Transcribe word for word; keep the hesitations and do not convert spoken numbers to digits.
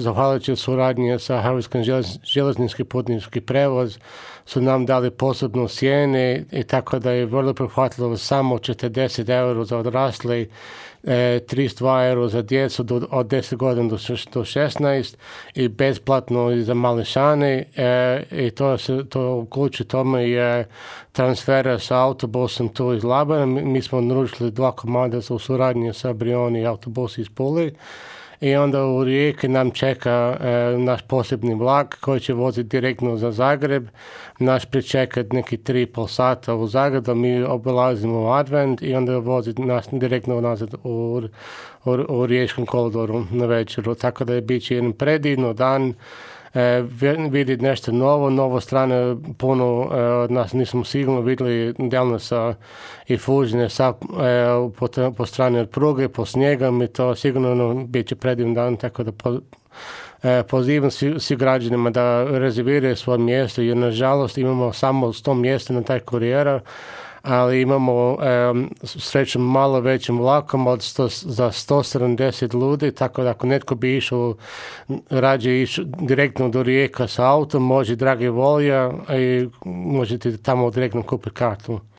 Zahvaljujući suradnji sa Hrvatskim željeznički putnički prevoz su nam dali posebnu cijenu i tako da je vrlo prihvatljivo samo četrdeset eura za odrasli, tristo dva eura za djecu do, od deset godina do, do šesnaest i besplatno i za mališane e, i to se to uključuje tome je transfera sa autobusom tu iz Labina. Mi, mi smo naručili dva komada u suradnji sa Brioni i autobus iz Pule. I onda u Rijeki nam čeka e, naš posebni vlak koji će voziti direktno za Zagreb. Naš pričekat neki tri i pol sata u Zagrebu, mi obilazimo Advent i onda vozi nas direktno nazad u, u, u Riječkom kolodoru na večeru. Tako da je bit će jedan predivno dan. E, vidjeti nešto novo, novo strane, puno e, od nas nismo sigurno vidjeli Delnasa i Fužine sa, e, po, po strani od pruge, po snijegom i to sigurno no, bit će predivan dan, tako da po, e, pozivam svi, svi građanima da rezerviraju svoje mjesto jer nažalost imamo samo sto mjesta na taj kurijera, ali imamo um, srećom malo većim vlakom od sto, za sto sedamdeset ljudi, tako da ako netko bi išao, rađe išao direktno do Rijeka sa autom, može dragi volja i možete tamo direktno kupiti kartu.